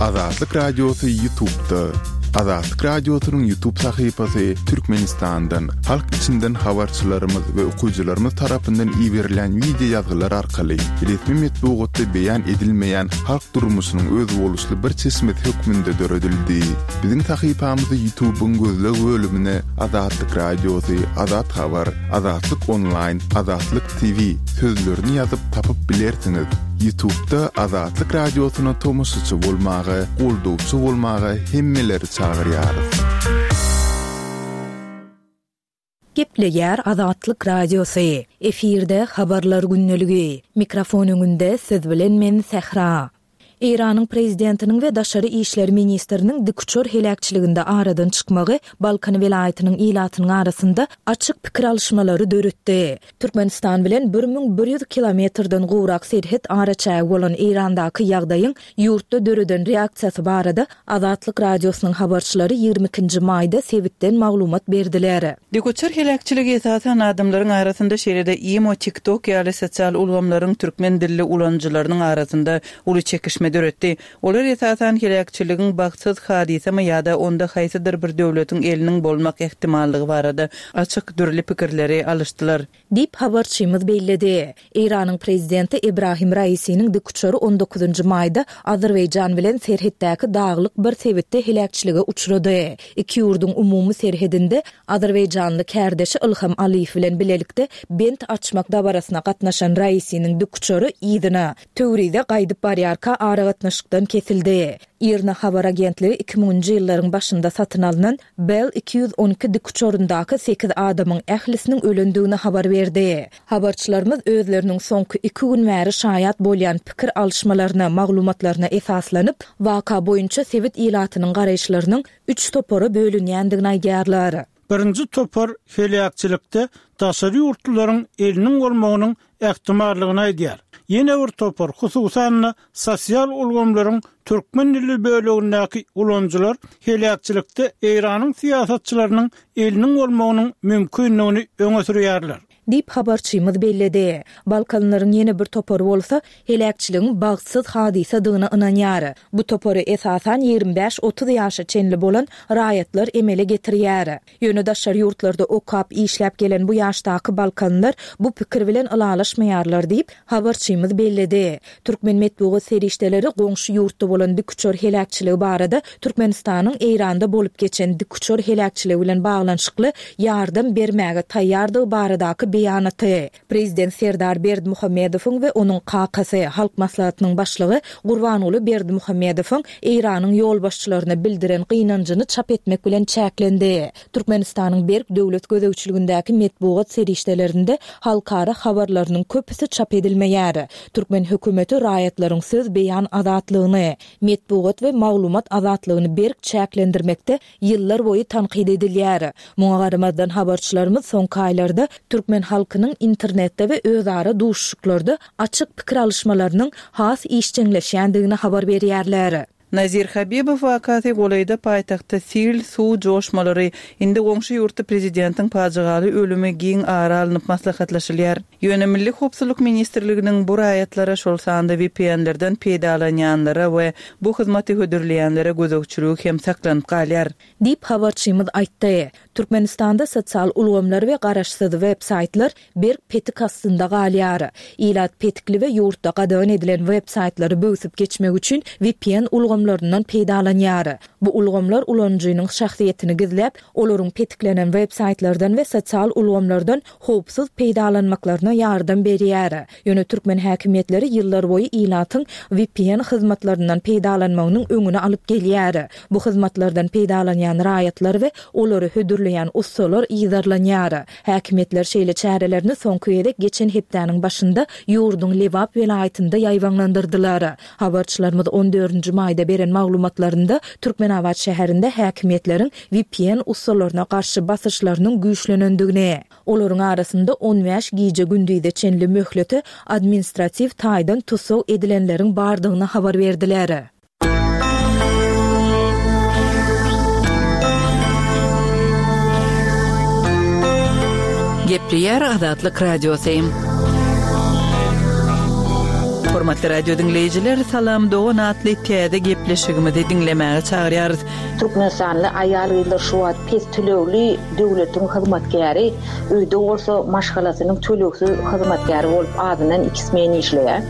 Azatlyk Radiosy Ýutubda. Azatlyk Radiosynyň Ýutub sahypasy Türkmenistandan, halk içinden habarçylarymyz we okyjylarymyz tarapyndan iberilýän wideo ýazgylar arkaly resmi metbugatda beýan edilmeýän halk durmuşynyň özboluşly bir çeşmesi hökmünde döredildi. Biziň sahypamyzy Ýutubyň gözleg bölümine Azatlyk Radiosy, Azat Habar, Azatlyk Onlaýn, Azatlyk TV sözlerini ýazyp tapyp bilersiňiz. Ýutubda Azatlyk Radiosyna tomaşaçy bolmaga, goldawçy bolmaga hemmeleri çagyrýarys. Gepleýär Azatlyk Radiosy. Efirde Habarlar gündeligi. Mikrofon öňünde siz bilen men Sähra. Eýranyň prezidentiniň we daşary işler ministriniň dikuçar heläkçiliginde aradan çykmagy Balkan welaýatynyň ilatynyň arasynda açyk pikir alyşmalary döretdi. Türkmenistan bilen 1100 kilometrden gowrak serhet araçägi bolan Eýrandaky ýagdaýyň ýurtda döreden reaksiýasy barada Azatlyk Radiosynyň habarçylary ýigrimi ikinji maýda sebitden maglumat berdiler. Dikuçar heläkçiligi esasan adamlaryň arasynda, şeýle-de imo, TikTok ýaly sosial ulgamlaryň türkmen dilli ulanyjylarynyň arasynda uly çekişme döretdi. Olar esasan heläkçiligiň bagtsyz hadysamy ýa-da onda haýsydyr bir döwletiň eliniň bolmak ähtimallygy barada açyk dürli pikirleri alyşdylar. Diýip, habarçymyz belledi. Eýranyň prezidenti Ebrahim Raisiniň dikuçary on dokuzynjy maýda Azerbaýjan bilen serhetdäki daglyk bir sebitde heläkçilige uçrady. Iki ýurduň umumy serhedinde azerbaýjanly kärdeşi Ylham Aliýew bilen bilelikde bent açmak dabarasyna gatnaşan Raisiniň dikuçary yzyna, Töwrize gaýdyp barýarka aragatnaşykdan kesildi. IRNA habar agentligi iki müňünji ýyllaryň başynda satyn alnan Bell 212 dikuçaryndaky sekiz adamyň ählisiniň ölendigini habar berdi. Habarçylarymyz özleriniň soňky iki gün bäri şaýat bolýan pikir alyşmalaryna, maglumatlaryna esaslanyp, waka boýunça sebit ilatynyň garaýyşlarynyň üç topara bölünýändigini aýdýarlar. Birinji topar heläkçilikde daşary ýurtlularyň eliniň bolmagynyň ähtimallygyny aýdýar. Ýene bir topar, hususan-da, sosial ulgamlaryň türkmen dilli bölegindäki ulanyjylar heläkçilikde Eýranyň syýasatçylarynyň eliniň bolmagynyň mümkindigini öňe sürýärler. Diýip, habarçymyz belledi. Balkanlaryň ýene bir topary bolsa, heläkçiligiň bagtsyz hadysadygyna ynanýar. Bu topary, esasan, 25-30 ýaşa çenli bolan raýatlar emele getirýär. Ýöne daşary ýurtlarda okap, işläp gelen bu ýaşdaky balkanlar bu pikir bilen ylalaşmaýarlar diýip, habarçymyz belledi. Türkmen metbugat serişdeleri goňşy ýurtda bolan dikuçar heläkçiligi barada Türkmenistanyň Eýranda bolup geçen dikuçar heläkçiligi bilen baglanyşykly ýardam bermäge taýýardygy baradaky beýanaty, Prezident Serdar Berdimuhamedowyň we onuň kakasy, Halk Maslahatynyň Başlygy Gurbanguly Berdimuhamedowyň Eýranyň ýolbaşçylaryna bildiren gynanjyny çap etmek bilen çäklendi. Türkmenistanyň berk döwlet gözegçiligindäki metbugat serişdelerinde halkara habarlarynyň köpüsi çap edilmeýär. Türkmen hökümeti raýatlaryň söz beýan azatlygyny, metbugat we maglumat azatlygyny berk çäklendirmekde ýyllar boýy tankyt edilýär. Muňa garamazdan habarçylarymyz soňky aýlarda türkmen halkynyň internetde we özara duşuşyklarda açyk pikir alyşmalarynyň has işjeňleşýändigini habar berýärler. Nazir Habibow wakasy golaýda paýtagtda sil, suw joşmalary, indi goňşy ýurtda prezidentiň pajygaly ölümi giň ara alnyp maslahatlaşylýar. Ýöne Milli howpsuzlyk ministrliginiň bu raýatlara, şol sanda VPN-lerden peýdalanýanlara we bu hyzmaty hödürleýänlere gözegçiligi hem saklanyp galýar. Diýip, habarçymyz aýtdy. Türkmenistanda sosial ulgamlar we garaşsyz web-saýtlar berk petik astynda galýar. Ilat petikli we ýurtda gadagan edilen web-saýtlary böwsüp geçmek üçin VPN ulgamlaryndan peýdalanýar. Bu ulgamlar ulanyjynyň şahsyýetini gizläp, olaryň petiklenen web-saýtlardan we sosial ulgamlardan howpsuz peýdalanmaklaryna ýardam berýär. Ýöne türkmen häkimiýetleri ýyllarboýy ilatyň vpn hyzmatlaryndan peýdalanmagynyň öňüni alyp gelýär. Bu hyzmatlardan peýdalanýan raýatlar we olary hödürleýän ussalar yzarlanýar. Häkimiýetler şeýle çärelerini soňky gezek geçen hepdäniň başynda ýurduň Lebap welaýatynda ýaýbaňlandyrdylar. Habarçylarymyz on dördünji maýda beren maglumatlarynda Türkmenabat şäherinde häkimiýetleriň vpn ussalaryna garşy basyşlarynyň güýçlenendigini, olaryň arasynda on bäş gije-gündize çenli möhlete administratiw taýdan tussag edilenleriň bardygyny habar berdiler. Gepleýär Azatlyk Radiosy. Hormatly radio diňleýjiler, Salam dogan atly täze gepleşigimizi diňlemäge çagyrýarys. Türkmenistanly aýal-gyzlar şu wagt pes tölegli döwletiň hyzmatkäri, öýde bolsa maşgalasynyň tölegsiz hyzmatkäri bolup azyndan iki smen işleýär.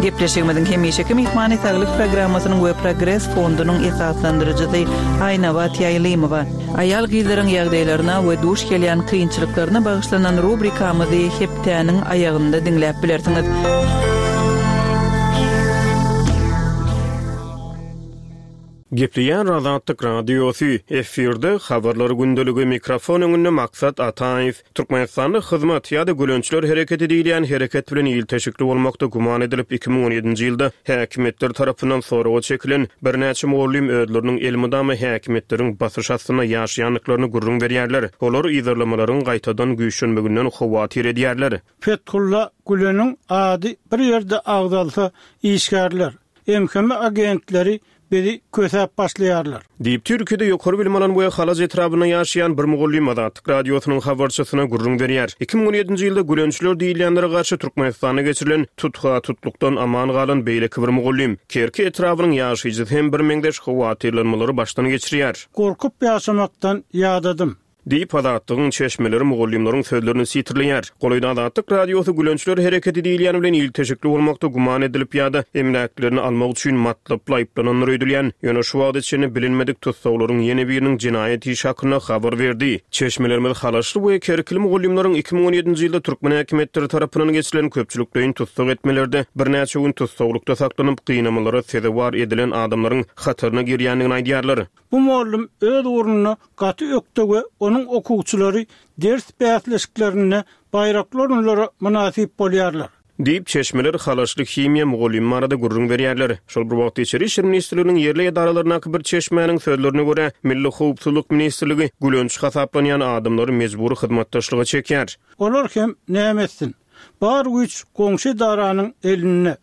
Gepleşigimiziň hemişeki myhmany Saglyk programmasynyň we Progres fondunyň esaslandyryjysy Aýnabat Ýaýlymowa. Aýal-gyzlaryň ýagdaýlaryna we duş gelýän kynçylyklaryna bagyşlanan rubrikamyzy hepdäniň aýagynda diňläp bilersiňiz. Gepleýär Azatlyk Radiosy, efirde Habarlar gündeligi, mikrofon öňünde Maksat Ataýew. Türkmenistanda Hyzmat ýa-da Gülençiler hereketi diýilýän hereket bilen ilteşikli bolmakda güman edilip, 2017-nji ýylda häkimiýetler tarapyndan soraga çekilen birnäçe mugallym özleriniň elmydama häkimiýetleriň basyş astynda ýaşaýandyklaryny gürrüň berýärler. Olar yzarlamalaryň gaýtadan güýçlenmeginden howatyr edýärler. Fethulla Güleniň ady bir ýerde agzalsa, işgärler, MHM agentleri bizi kösäp başlaýarlar. Diýip, Türkiýede ýokary bilim alan we Halaç etrabynda ýaşaýan bir mugallym Azatlyk Radiosynyň habarçysyna gürrüň berýär. 2017-nji ýylda gülençiler diýilýänlere garşy Türkmenistanda geçirilen tutha-tutlukdan aman galan beýleki bir mugallym, Kerki etrabynyň ýaşaýjysy hem birmeňzeş howatyrlanmalary başdan geçirýär. Gorkup ýaşamakdan ýadadym. Diýip, Azatlygyň çeşmeleri mugallymlaryň sözlerini sitirleýär. Golaýda Azatlyk Radiosy Gülençiler hereketi diýilýän bilen ilteşikli bolmakda güman edilip ýa-da emläklerini almak üçin matlaply aýyplanandyr öýdülýän, ýöne şu wagta çenli bilinmedik tussaglaryň ýene biriniň jenaýat işi hakynda habar berdi. Çeşmelerimiz halaçly we kerkili mugallymlaryň 2017-nji ýylda türkmen häkimiýetleri tarapyndan geçirilen köpçülikleýin tussag etmelerde birnäçe gün tussaglykda saklanyp, gynamalara sezewar edilen adamlaryň hataryna girýändigini aýdýarlar. Bu mugallym öz ugrunda gaty ökde we onuň okuwçylary ders bäsleşiklerinde baýrakly orunlara mynasyp bolýarlar. Diýip, çeşmeler halaçly himiýa mugallymy barada gürrüň berýärler. Şol bir wagtda, Içeri işler ministrliginiň ýerli edaralaryndaky bir çeşmäniň sözlerine görä, Milli howpsuzlyk ministrligi gülenç hasaplanýan adamlary mejbury hyzmatdaşlyga çekýär. Olar hem näme etsin? Bar güýç goňşy edaranyň elinde.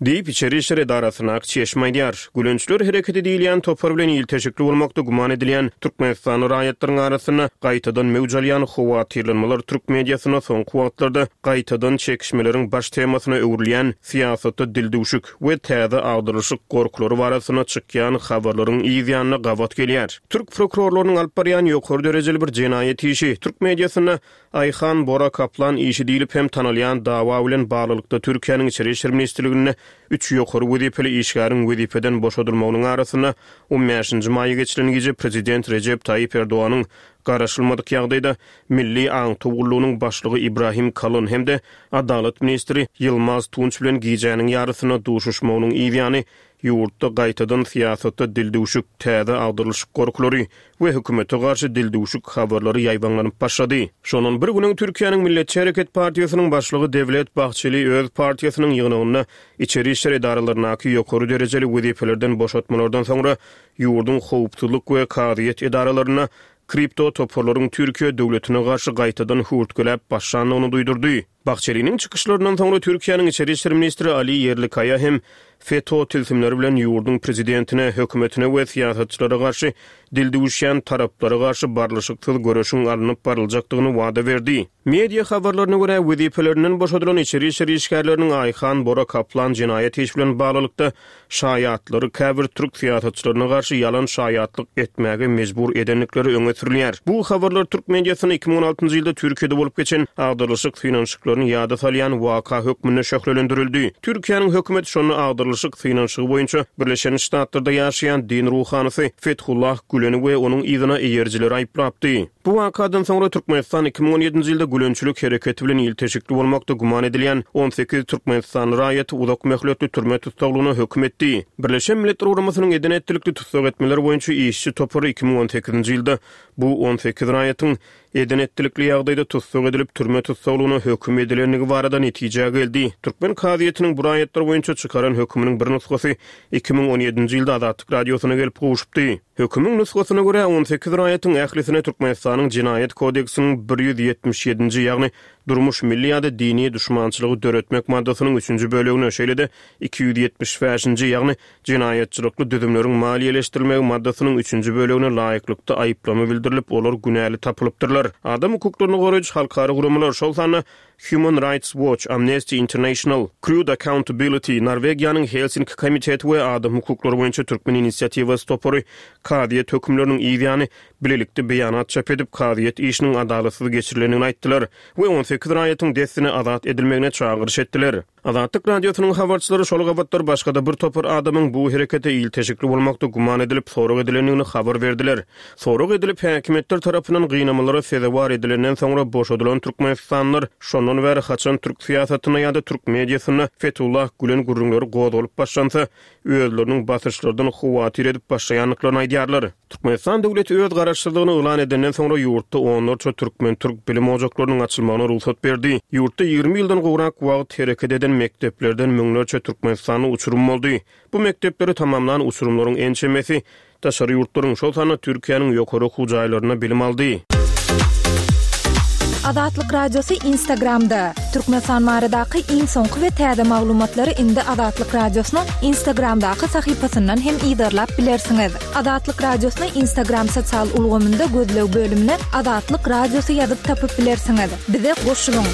Diýip, Içeri işler edarasyndaky çeşme aýdýar. Gülençiler hereketi diýilýän topar bilen ilteşikli bolmakda güman edilýän türkmenistanly raýatlaryň arasynda gaýtadan möwç alýan howatyrlanmalar türk mediasynda soňky wagtlarda gaýtadan çekişmeleriň baş temasyna öwrülýän syýasatda dildüwşük we täze agdarylyşyk gorkulary barasynda çykýan habarlaryň yz ýanyna gabat gelýär. Türk prokurorlarynyň alyp barýan ýokary derejeli bir jenaýat işi türk mediasynda Aýhan Bora Kaplan işi diýlip hem tanalýan dawa bilen baglylykda Türkiýäniň Içeri işler ministrliginde üç ýokary wezipeli işgäriň wezipeden boşadylmagynyň arasynda on bäşinji maýa geçirilen gije prezident Rejep Taýyp Erdoganyň garaşylmadyk ýagdaýda Milli aňtaw gullugynyň başlygy Ibrahim Kalyn hem-de Adalat ministri Ýylmaz Tunç bilen gijäniň ýarysynda duşuşmagynyň yzýany Ýurtda gaýtadan syýasatda dildüwşük, täze agdarylyşyk gorkulary we hökümete garşy dildüwşük habarlary ýaýbaňlanyp başlady. Şondan bir gün öň Türkiýäniň Milletçi hereket partiýasynyň başlygy Dewlet Bahçeli öz partiýasynyň ýygnagynda içeri işler edaralaryndaky ýokary derejeli wezipelerden boşatmalardan soňra ýurduň howpsuzlyk we kazyýet edaralarynda kripto toparlaryň Türkiýe döwletine garşy gaýtadan höwürtgeläp başlandygyny duýdurdy. Bahçeliniň çykyşlaryndan soňra Türkiýäniň içeri işler ministri Ali Ýerlikaýa hem FETÖ tilsimleri bilen ýurduň prezidentine, hökümetine we syýasatçylara garşy dil düwüşýän taraplara garşy barlyşyksyz göreşiň alnyp baryljakdygyny wada berdi. Media habarlaryna görä, wezipelerinden boşadylan içeri işler işgärleriniň Aýhan Bora Kaplan jenaýat işi bilen baglylykda şaýatlary käbir türk syýasatçylaryna garşy ýalan şaýatlyk etmäge mejbur edendikleri öňe sürülýär. Bu habarlar türk mediasynda 2016-njy ýylda Türkiýede bolup geçen agdarylyşyk synanyşyklaryny ýada salýan waka hökmünde şöhlelendirildi. Türkiýäniň hökümeti şonda agdarylyşyk synanyşygy boýunça Birleşen Ştatlarda ýaşaýan din ruhanysy Fethullah Güleni we onuň yzyna eýerijileri aýyplapdy. Bu wakadan soňra Türkmenistan 2017-nji ýylda gülençilik hereketi bilen ilteşikli bolmakda güman edilýän 18 türkmenistanly raýaty uzak möhletli türme tussaglygyna höküm etdi. Birleşen Milletler Guramasynyň eden-etdilikli tussag etmeler boýunça işçi topary 2018-nji ýylda bu 18 raýatyň eden-etdilikli ýagdaýda tussag edilip, türme tussaglygyna höküm edilendigi barada netijä geldi. Türkmen kazyýetiniň bu raýatlar boýunça çykaran höküminiň bir nusgasy 2017-nji ýylda Azatlyk Radiosyna gelip gowşupdy. Hökümiň nusgasyna görä, 18 raýatyň ählisine Türkmenistanyň Jenaýat kodeksiniň 177-nji, ýagny durmuş, milli ýa-da dini duşmançylygy döretmek maddasynyň üçünji bölegine, şeýle-de 275-nji, ýagny jenaýatçylykly düzümleriň maliýeleşdirilmegi maddasynyň üçünji bölegine laýyklykda aýyplama bildirilip, olar günäli tapylypdyrlar. Adam hukuklaryny goraýjy halkara guramalar, şol sanda. Human Rights Watch, Amnesty International, Crude Accountability, Norwegiýanyň Helsinki komiteti we Adam hukuklary boýunça Türkmen inisiatiwasy topary kazyýet hökümleriniň yz ýany bilelikde beýanat çap edip, kazyýet işiniň adalatsyz geçirilendigini aýtdylar we 18 raýatyň dessine azat edilmegine çagyryş etdiler. Azatlyk Radiosynyň habarçylary şol gabatlar başga-da bir topar adamyň bu herekete ilteşikli bolmakda güman edilip sorag edilendigini habar berdiler. Sorag edilip, häkimiýetler tarapyndan gynamalara sezewar edilenden soňra boşadylan türkmenistanlylar şondan bäri haçan türk syýasatynda ýa-da türk mediasynda Fetullah Gülen gürrüňleri gozgalyp başlansa, özleriniň basyşlardan howatyr edip başlaýandyklaryny aýdýarlar. Türkmenistan döwleti öz garaşsyzlygyny yglan edenden soňra ýurtda onlarça türkmen-türk bilim ojaklarynyň açylmagyna rugsat berdi. Ýurtda 20 ýyldan gowrak wagt hereket eden mekdeplerden müňlerçe türkmenistanly uçurym boldy. Bu mekdepleri tamamlan uçurymlaryň ençemesi daşary ýurtlaryň, şol sanda Türkiýäniň ýokary okuw jaýlarynda bilim aldy. Azatlyk Radiosy Instagramda, Türkmenistan baradaky iň soňky we täze maglumatlary indi Azatlyk Radiosynyň Instagramdaky sahypasyndan hem yzarlap bilersiňiz. Azatlyk Radiosyny Instagram sosial ulgamynda gözleg bölümine Azatlyk Radiosy ýazyp tapyp bilersiňiz. Bize goşulyň!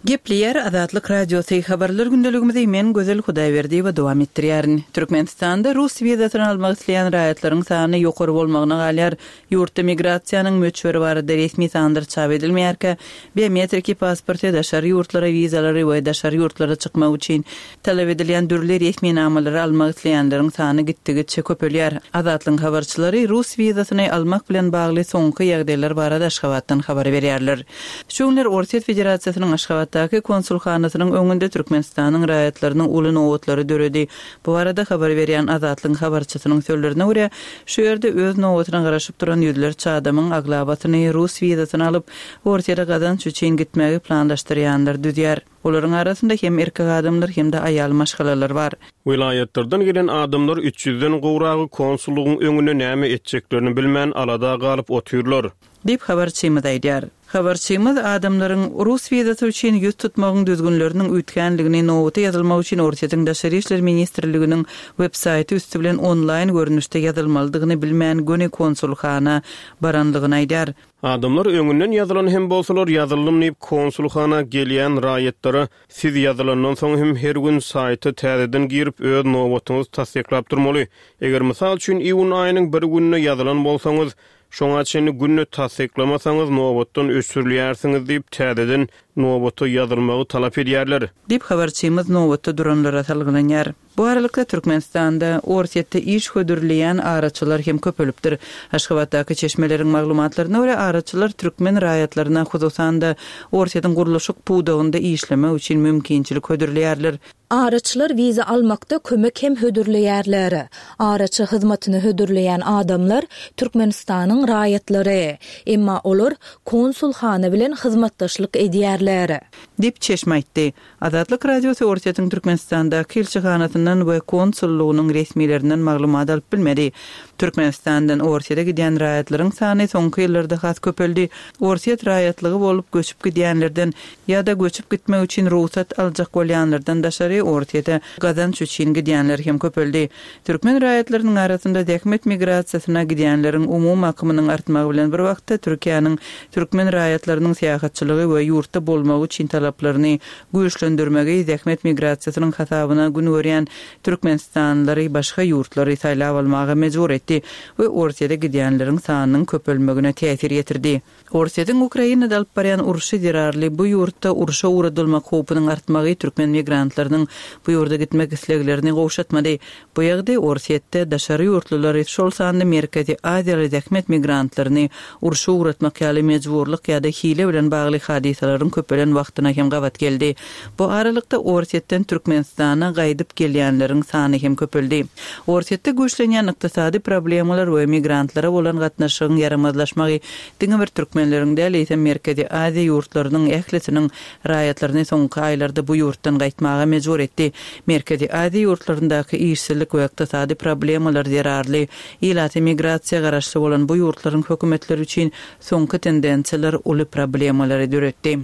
Gepleýär Azatlyk Radiosy, Habarlar gündeligimizi men Gözel Hudaýberdiýewa dowam etdirýärin. Türkmenistanda rus wizasyny almak isleýän raýatlaryň sany ýokary bolmagyna galýar. Ýurtda migrasiýanyň möçberi barada resmi sanlar çap edilmeýärkä, biometriki pasporty, daşary ýurtlara wizalary we daşary ýurtlara çykmak üçin talap edilýän dürli resminamalary almak isleýänleriň sany gitdigiçe köpelýär. Azatlygyň habarçylary rus wizasyny almak bilen bagly soňky ýagdaýlar barada Aşgabatdan habar berýärler. Şu günler Orsýet Federasiýasynyň Aşgabatdaky konsulhanasynyň öňünde Türkmenistanyň raýatlarynyň uly nobatlary döredi. Bu barada habar berýän Azatlygyň habarçysynyň sözlerine görä, şu ýerde öz nobatyna garaşyp duran ýüzlerçe adamyň aglabasyny rus wizasyny alyp, Orsýete gazanç üçin gitmegi planlaşdyrýanlar düzýär. Olaryň arasynda hem erkek adamlar, hem-de aýal maşgalalar bar. Welaýatlardan gelen adamlar üç ýüzden gowragy konsullygyň öňünde näme etjeklerini bilmän alada galyp otyrlar. Diýip, habarçymyz aýdýar. Habarçymyz adamlaryň rus wizasy üçin ýüz tutmagyň düzgünleriniň üýtgänligini, nobata ýazylmak üçin Orsýetiň Daşary işler ministrliginiň web-saýty üsti bilen onlaýn görnüşde ýazylmalydygyny bilmän göni konsulhana baranlygyny aýdýar. Adamlar öňünden ýazylan hem bolsalar, ýazyldym diýip konsulhana gelýän raýatlara siz ýazylandan soň hem her gün saýta täzeden girip öz nobatyňyzy tassyklap durmaly. Eger mysal üçin iýun aýynyň bir gününe ýazylan bolsaňyz, şoňa çenli günde tassyklamasaňyz nobatdan öçürilýärsiňiz diýip täzeden nobata ýazylmagy talap edýärler. Diýip habarçymyz nobatda duranlara salgylanýar. Bu aralykda, Türkmenistanda Orsýetde iş hödürleýän araçylar hem köpelipdir. Aşgabatdaky çeşmeleriň maglumatlaryna görä, araçylar türkmen raýatlaryna, hususan-da, Orsýetiň gurluşyk pudagynda işlemek üçin mümkinçilik hödürleýärler. Araçylar wiza almakda kömek hem hödürleýärler. Araçy hyzmatyny hödürleýän adamlar Türkmenistanyň raýatlary. Emma olar konsulhana bilen hyzmatdaşlyk edýärler. Diýip, çeşme aýtdy. Azatlyk Radiosy Orsýetiň Türkmenistandaky ilçihanasyndan we konsullygynyň resmilerinden maglumat alyp bilmedi. Türkmenistandan Orsýete gidýän raýatlaryň sany soňky ýyllarda has köpeldi. Orsýet raýatlygy bolup göçüp gidýänlerden ýa-da göçüp gitmek üçin rugsat aljak bolýanlardan daşary Orsýete gazanç üçin gidýänler hem köpeldi. Türkmen raýatlarynyň arasynda zähmet migrasiýasyna gidýänleriň umumy akymynyň artmagy bilen bir wagtda Türkiýäniň türkmen raýatlarynyň syýahatçylygy we ýurtda bolmagy üçin talaplaryny güýçlendirmegi zähmet migrasiýasynyň hasabyna gün görýän türkmenistanlylary başga ýurtlary saýlap almaga mejbur etdi we Orsýete gidýänleriň sanynyň köpelmegine täsir ýetirdi. Orsýetiň Ukrainada alyp barýan urşy zerarly bu ýurtda urşa ugradylmak howpunyň artmagy türkmen migrantlarynyň bu ýurda gitmek isleglerini gowşatmady. Bu ýagdaý Orsýetde daşary ýurtlulary, şol sanda Merkezi Aziýaly zähmet migrantlaryny urşa ugratmak ýaly mejburlyk ýa-da hile bilen bagly hadysalaryň köpelen wagtyna hem gabat geldi. Bu aralykda Orsýetden Türkmenistana gaýdyp gelýänleriň sany hem köpeldi. Orsýetde güýçlenýän ykdysady problemalar we migrantlara bolan gatnaşygyň ýaramazlaşmagy diňe bir türkmenleriň däl, eýsem Merkezi Aziýa ýurtlarynyň ählisiniň raýatlaryny soňky aýlarda bu ýurtdan gaýtmaga mejbur etdi. Merkezi Aziýa ýurtlaryndaky işsizlik we ykdysady problemalar zerarly ilaty migrasiýa garaşly bolan bu ýurtlaryň hökümetleri üçin soňky tendensiýalar uly problemalary döretdi.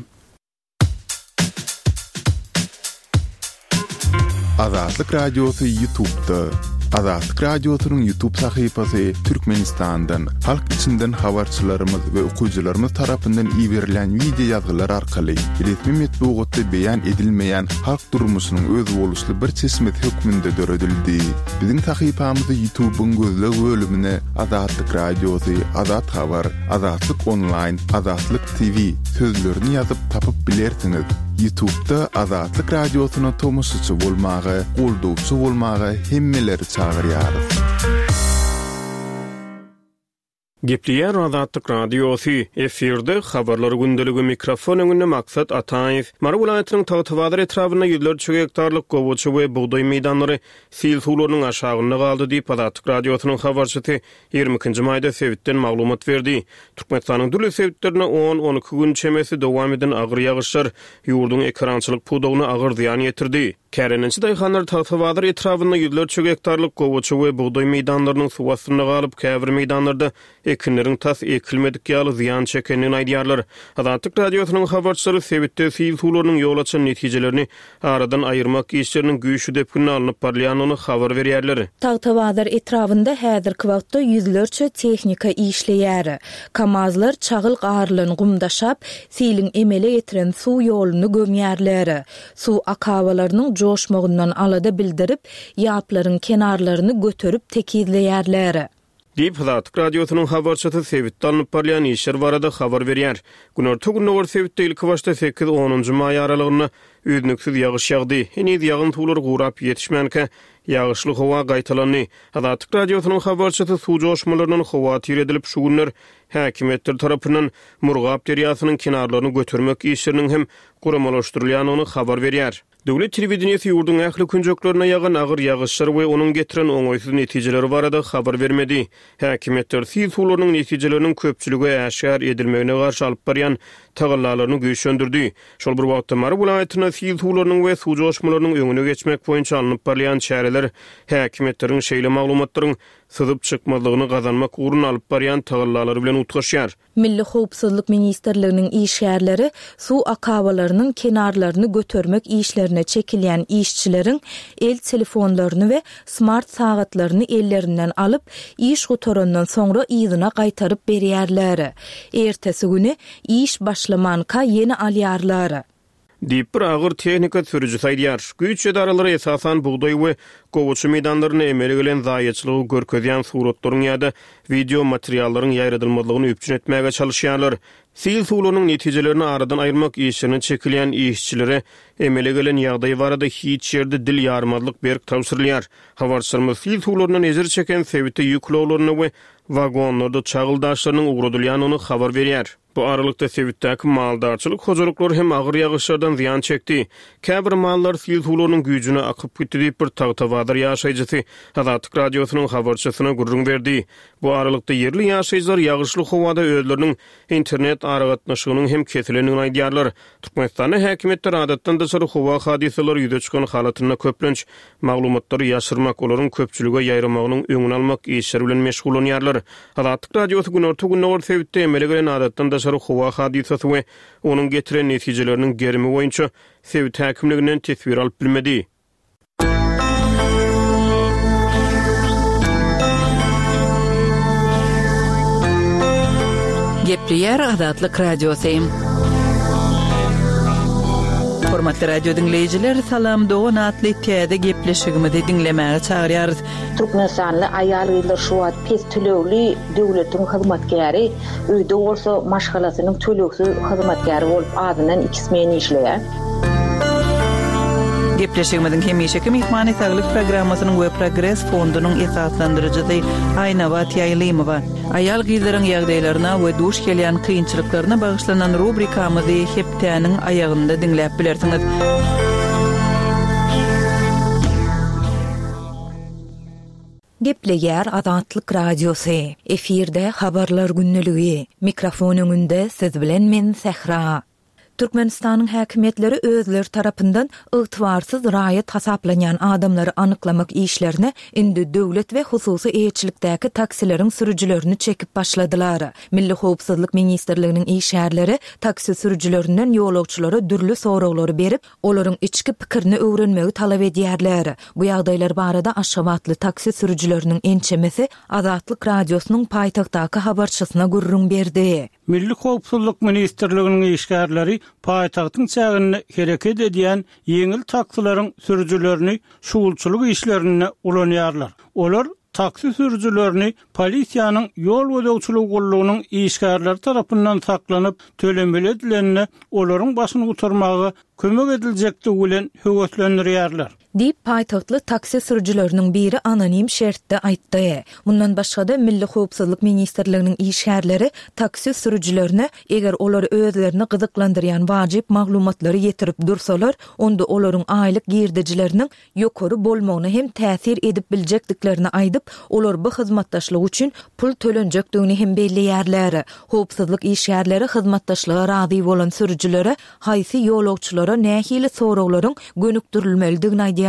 Azatlyk Radiosy Ýutubda. Azatlyk Radiosynyň YouTube sahypasy Türkmenistandan, halk içinden habarçylarymyz we okyjylarymyz tarapyndan iberilýän wideo ýazgylar arkaly resmi metbugatda beýan edilmeýän halk durmuşynyň özboluşly bir çeşmesi hökmünde döredildi. Biziň sahypamyzy YouTube-yň gözleg bölümine Azatlyk Radiosy, Azat Habar, Azatlyk Onlaýn, Azatlyk TV sözlerini ýazyp tapyp bilersiňiz. Ýutubda Azatlyk Radiosyna tomaşaçy bolmaga, goldawçy bolmaga hemmeleri çagyrýarys. Gepleýär Azatlyk Radiosy, efirde Habarlar gündeligi, mikrofon öňünde Maksat Ataýew. Mary welaýatynyň Tagtabazar etrabynda ýüzlerçe gektarlyk gowaça we bugdaý meýdanlary sil suwlarynyň aşagynda galdy diýip, Azatlyk Radiosynyň habarçysy 22-nji maýda sebitden maglumat berdi. Türkmenistanyň dürli sebitlerinde on-on iki gün çemesi dowam eden agyr ýagyşlar ýurduň ekerançylyk pudagyna agyr zyýan ýetirdi. Kärendeçi daýhanlar Tagtabazar etrabynda ýüzlerçe gektarlyk gowaça we bugdaý meýdanlarynyň suw astynda galyp, käbir meýdanlarda ekinleriň tas ekilmedik ýaly zyýan çekendigini aýdýarlar. Azatlyk Radiosynyň habarçylary sebitde sil suwlarynyň ýol açan netijelerini aradan aýyrmak işleriniň güýçli depginde alnyp barylýandygyny habar berýärler. Tagtabazar etrabynda häzirki wagtda ýüzlerçe tehnika işleýär. Kamazlar çagyl garylan gum daşap, siliň emele getiren suw ýoluny gömýärler. Suw akabalarynyň joşmagyndan alada bildirip, ýaplaryň kenarlaryny göterip tekizleýärler. Diýip, Azatlyk Radiosynyň habarçysy sebitde alnyp barylýan işler barada habar berýär. Günorta-gündogar sebitde ilkibaşda sekiz-onunjy maý aralygynda üznüksiz ýagyş ýagdy. Heniz ýagyn suwlary gurap ýetişmänkä, ýagyşly howa gaýtalandy. Azatlyk Radiosynyň habarçysy suw joşmalaryndan howatyr edilip, şu günler häkimiýetler tarapyndan Murgap derýasynyň kenarlaryny götermek işleriniň hem guramalaşdyrylýandygyny habar berýär. Döwlet telewideniýesi ýurduň ähli künjeklerinde ýagan agyr ýagyşlar we onuň getiren oňaýsyz netijeleri barada habar bermedi. Häkimiýetler sil suwlarynyň netijeleriniň köpçülige äşgär edilmegine garşy alyp barýan tagallalaryny güýçlendirdi. Şol bir wagtda, Mary welaýatynda sil suwlarynyň we suw joşmalarynyň öňüne geçmek boýunça alnyp barylýan çäreler häkimiýetleriň şeýle maglumatlaryň syzyp çykmazlygyny gazanmak ugrunda alyp barýan tagallalary bilen utgaşýar. Milli howpsuzlyk ministrliginiň işgärleri suw akabalarynyň kenarlaryny götermek işlerine çekilýän işçileriň el telefonlaryny we smart sagatlaryny ellerinden alyp, iş gutarandan soňra yzyna gaýtaryp berýärler. Ertesi güni iş başlamanka ýene alýarlar. Diýip, bir agyr tehnika sürüjisi aýdýar. Güýç edaralary esasan bugdaý we gowaça meýdanlarynda emele gelen zaýaçylygy görkezýän suratlaryň ýa-da wideo materiallaryň ýaýradylmazlygyny üpjün etmäge çalyşýarlar. Sil suwlarynyň netijelerini aradan aýyrmak işlerine çekilýän işçilere emele gelen ýagdaý barada hiç ýerde dil ýarmazlyk berk tabşyrylýar. Habarçylarymyz sil suwlaryndan ejir çeken sebite ýük ulaglarynda we wagonlarda çagyl daşlarynyň ugradylýandygyny habar berýär. Bu aralykda, sebitdäki maldarçylyk hojalyklary hem agyr ýagyşlardan zyýan çekdi. Käbir mallar sil suwlarynyň güýjüne akyp gitdi diýip, bir Tagtabazar ýaşaýjysy Azatlyk Radiosynyň habarçysyna gürrüň berdi. Bu aralykda, ýerli ýaşaýjylar ýagyşly howada özleriniň internet aragatnaşygynyň hem kesilendigini aýdýarlar. Türkmenistanda häkimiýetler adatdan daşary howa hadysalary ýüze çykan halatynda köplenç maglumatlary ýaşyrmak, olaryň köpçülige ýaýramagynyň öňüni almak işleri bilen meşgullanýarlar. Azatlyk Radiosy günorta-gündogar sebitde emele gelen adatdan daşary howa hadysasy we onuň getiren netijeleriniň gerimi boýunça sebit häkimliginden teswir alyp bilmedi. Gepleýär Azatlyk Radiosy. Hormatly radio diňleýjiler, Salam dogan atly täze gepleşigimizi diňlemäge çagyrýarys. Türkmenistanly aýal-gyzlar şu wagt pes tölegli döwletiň hyzmatkäri, öýde bolsa maşgalasynyň tölegsiz hyzmatkäri bolup azyndan iki smen işleýär. Gepleşigimiziň hemişeki myhmany Saglyk programmasynyň we Progres fondunyň esaslandyryjysy Aýnabat Ýaýlymowa. Aýal-gyzlaryň ýagdaýlaryna we duş gelýän kynçylyklaryna bagyşlanan rubrikamyzy hepdäniň aýagynda diňläp bilersiňiz. Gepleýär Azatlyk Radiosy, efirde Habarlar gündeligi, mikrofon öňünde siz bilen men Sähra. Türkmenistanyň häkimiýetleri özleri tarapyndan ygtybarsyz raýat hasaplanýan adamlary anyklamak işlerine indi döwlet we hususy eýeçilikdäki taksileriň sürüjilerini çekip başladylar. Milli howpsuzlyk ministrliginiň işgärleri taksi sürüjilerinden ýolagçylara dürli soraglary berip, olaryň içki pikirini öwrenmegi talap edýärler. Bu ýagdaýlar barada aşgabatly taksi sürüjileriniň ençemesi Azatlyk Radiosynyň paýtagtdaky habarçysyna gürrüň berdi. Milli howpsuzlyk ministrliginiň işgärleri paýtagtyň çäginde hereket edýän ýeňil taksileriň sürüjilerini şugulçylyk işlerinde ulanýarlar. Olar taksi sürüjilerini polisiýanyň ýol gözegçiligi gullugynyň işgärleri tarapyndan saklanyp, tölemeli edilende olaryň başyny gutarmaga kömek ediljekdigi bilen höweslendirýärler. Diýip, paýtagtly taksi sürüjileriniň biri anonim şertde aýtdy. Mundan başga-da, Milli howpsuzlyk ministrliginiň işgärleri taksi sürüjilerine, eger olar özlerini gyzyklandyrýan wajyp maglumatlary ýetirip dursalar, onda olaryň aýlyk girdejileriniň ýokary bolmagyna hem täsir edip biljekdiklerini aýdyp, olar bu hyzmatdaşlyk üçin pul tölenjekdigini hem belleýärler. Howpsuzlyk işgärleri hyzmatdaşlyga razy bolan sürüjilere haýsy ýolagçylara nähili soraglaryň gönükdirilmelidigini aýdýarlar.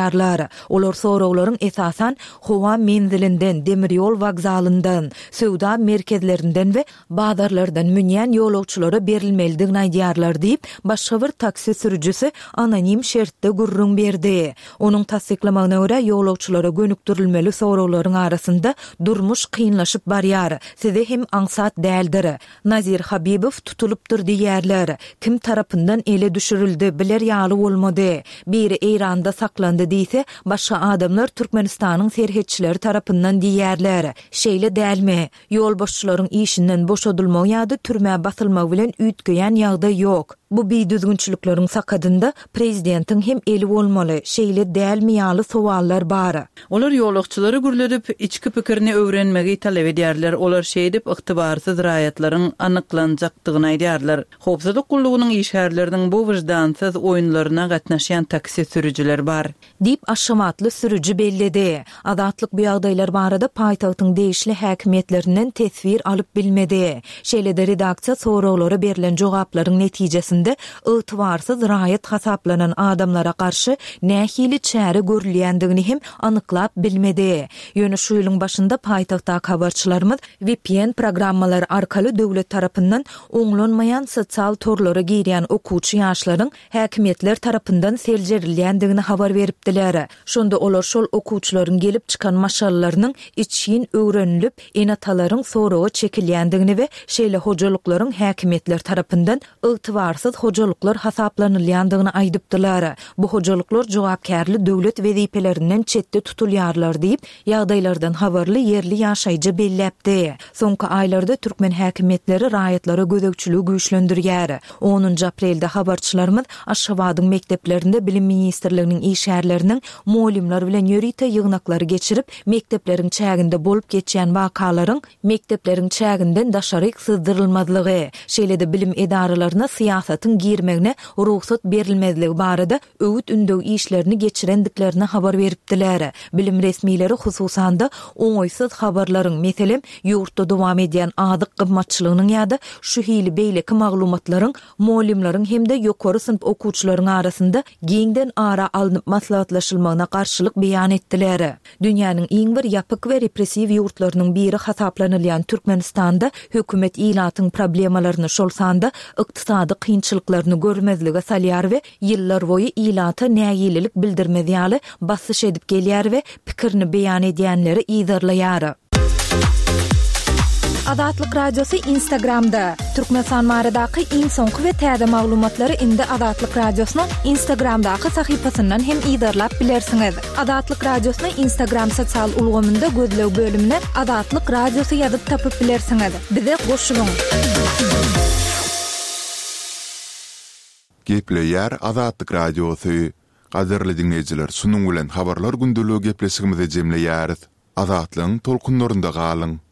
Olar soraglaryň esasan howa menzilinden, demir ýol wokzalyndan, söwda merkezlerinden we bazarlardan münýän ýolagçylara berilmelidigini aýdýarlar diýip, başga bir taksi sürüjisi anonim şertde gürrüň berdi. Onuň tassyklamagyna görä, ýolagçylara gönükdirilmeli soraglaryň arasynda durmuş kynlaşyp barýar, size hem aňsat däldir, Nazir Habibow tutulypdyr diýýärler. Kim tarapyndan ele düşürildi, biler ýaly bolmady. Biri Eýranda saklandy diýse, başga adamlar Türkmenistanyň serhetçileri tarapyndan diýýärler. Şeýle dälmi? Ýolbaşçylaryň işinden boşadylmagy ýa-da türmä basylmagy bilen üýtgeýän ýagdaý ýok. Bu bidüzgünçilikleriň sakadynda prezidentiň hem eli bolmaly, şeýle dälmi ýaly sowallar bar. Olar ýolagçylary gürledip, içki pikirini öwrenmegi talap edýärler, olar şeýdip ygtybarsyz raýatlaryň anyklanjakdygyny aýdýarlar. Howpsuzlyk gullugynyň işgärleriniň bu wyždansyz oýunlaryna gatnaşýan taksi sürüjiler bar. Diýip, aşgabatly sürüji belledi. Azatlyk bu ýagdaýlar barada paýtagtyň degişli häkimiýetlerinden teswir alyp bilmedi. Şeýle-de redaksiýa soraglara berlen jogaplaryň netijesinde ygtybarsyz raýat hasaplanan adamlara garşy nähili çäre görülýändigini hem anyklap bilmedi. Ýöne şu ýylyň başynda paýtagtdaky habarçylarymyz vpn programmalary arkaly döwlet tarapyndan oňlanmaýan sosial torlara girýän okuwçy ýaşlaryň häkimiýetler tarapyndan seljerilýändigini habar beripdiler. Şonda olar şol okuwçylaryň gelip çykan maşgalalarynyň içgin öwrenilip, ene-atalaryň soraga çekilýändigini we şeýle hojalyklaryň häkimiýetler tarapyndan ygtybarsyz hojalyklar hasaplanylýandygyny aýdypdylar. Bu hojalyklar jogapkärli döwlet wezipelerinden çetde tutulýarlar diýip, Ýagdaýlardan habarly ýerli ýaşaýjy belläpdi. Soňky aýlarda türkmen häkimiýetleri raýatlara gözegçiligi güýçlendirýär. Onunjy aprelde habarçylarymyz Aşgabadyň mekdeplerinde Bilim ministrliginiň işgärleriniň mugallymlar bilen ýörite ýygnaklary geçirip, mekdepleriň çäginde bolup geçýän wakalaryň mekdepleriň çäginden daşaryk syzdyrylmazlygy, şeýle-de bilim edaralaryna syýasatyň girmegine rugsat berilmezligi barada öwüt-ündew işlerini geçirendiklerini habar beripdiler. Bilim resmileri hususan-da, oňaýsyz habarlaryň, meselem, ýurtda dowam edýän azyk gymmatçylygynyň ýa-da şu hili beýleki maglumatlaryň mugallymlaryň hem-de ýokary synp okuwçylaryň arasynda giňden ara alnyp maslahatlaşylmagyna garşylyk beýan etdiler. Dünýäniň iň bir ýapyk we repressiw ýurtlarynyň biri hasaplanylýan Türkmenistanda hökümet ilatyň problemalaryny, şol sanda ykdysady kynçylyklaryny görmezlige salýar we ýyllarboýy ilata nägilelik bildirmez ýaly basyş edip gelýär we pikirini beýan edýänleri yzarlaýar. Azatlyk Radiosy Instagramda, Türkmenistan baradaky iň soňky we täze maglumatlary indi Azatlyk Radiosynyň Instagramdaky sahypasyndan hem yzarlap bilersiňiz. Azatlyk Radiosyny Instagram sosial ulgamynda gözleg bölümine Azatlyk Radiosy ýazyp tapyp bilersiňiz. Bize goşulyň! Gepleýär Azatlyk Radiosy. Gadyrly diňleýjiler şunuň bilen Habarlar gündeligi gepleşigimizi jemleýäris. Azatlygyň tolkunlarynda galyň!